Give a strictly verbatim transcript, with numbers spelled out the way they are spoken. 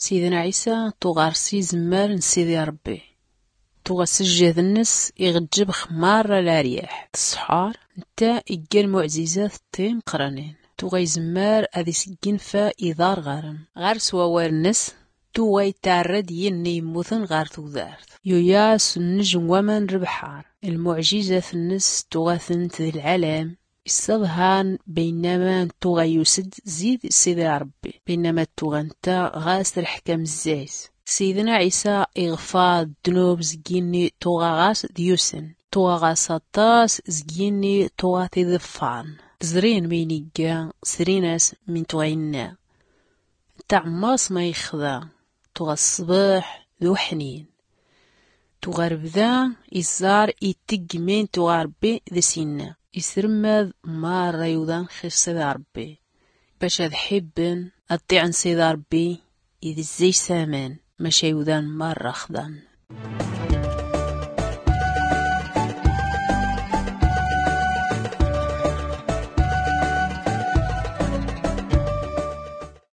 Sidna ɛisa tuɣa ɣer-s izemmar n sidi ṛebbi. Tuɣa s jjed-nnes iɣ-ǧǧeb xmar ɣer laryaḥ. Tṣḥar nta igga lmuɛzizat timeqqranin. Tuɣa izemmar ad-isgginfa iḍarɣaren ɣer-s wawal-nnes. Tuɣa ittarra-d yinni yemmuten ɣer tudart. Yuya s nnejm waman n lebḥar. Lmuɛjizat-nnes tuɣa-tent d lɛalam isseḍhan. Baynama tuɣa yus-d zid sidi ṛebbi, baynama tuɣa nta ɣas lḥkam zzay-s. Sidna ɛisa iɣfar ddnub zg yinni tuɣa ɣas d-yusen. Tuɣa ɣas aṭas zg yinni tuɣa t-iḍeffaren. Zrin min igga, zrin-as min tuɣa inna. Nta ɛmmas ma ixda. Tuɣa ṣṣbeḥ d uḥnin. Tuɣa rbda iẓẓar ittegg min tuɣa ṛebbi d-s inna. Isremmad marra iwḍan xir sidi ṛebbi, bac ad ḥibben ad ṭiɛen sidi ṛebbi id-zzay s aman. Maca iwḍan marra xḍan.